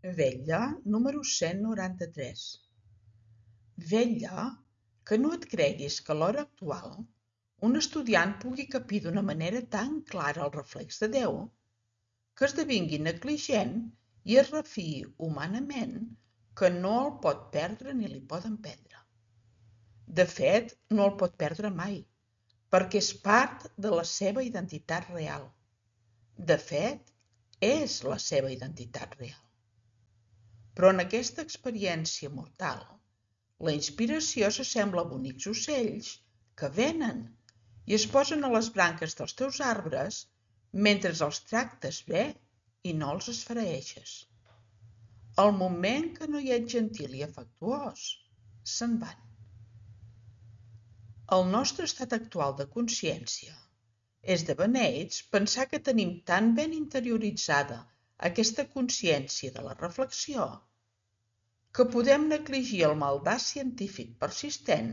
Vetlla número 193. Vetlla que no et creguis que a l'hora actual un estudiant pugui capir d'una manera tan clara el reflex de Déu que esdevingui negligent i es refiï humanament que no el pot perdre ni li poden prendre. De fet, no el pot perdre mai, perquè és part de la seva identitat real. De fet, és la seva identitat real. Però en aquesta experiència mortal, la inspiració s'assembla a bonics ocells que venen i es posen a les branques dels teus arbres mentre els tractes bé i no els esfereeixes. Al moment que no hi ets gentil i afectuós, se'n van. El nostre estat actual de consciència és de beneits pensar que tenim tan ben interioritzada aquesta consciència de la reflexió que podem negligir el maldat científic persistent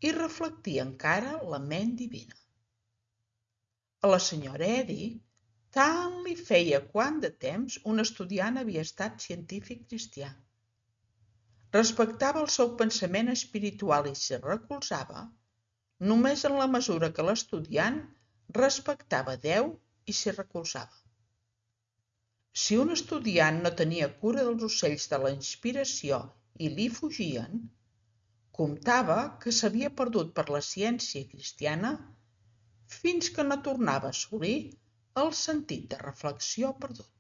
i reflectir encara la ment divina. A la senyora Eddy tant li feia quant de temps un estudiant havia estat científic cristià. Respectava el seu pensament espiritual i s'hi recolzava només en la mesura que l'estudiant respectava Déu i s'hi recolzava. Si un estudiant no tenia cura dels ocells de la inspiració i li fugien, comptava que s'havia perdut per la ciència cristiana fins que no tornava a assolir el sentit de reflexió perdut.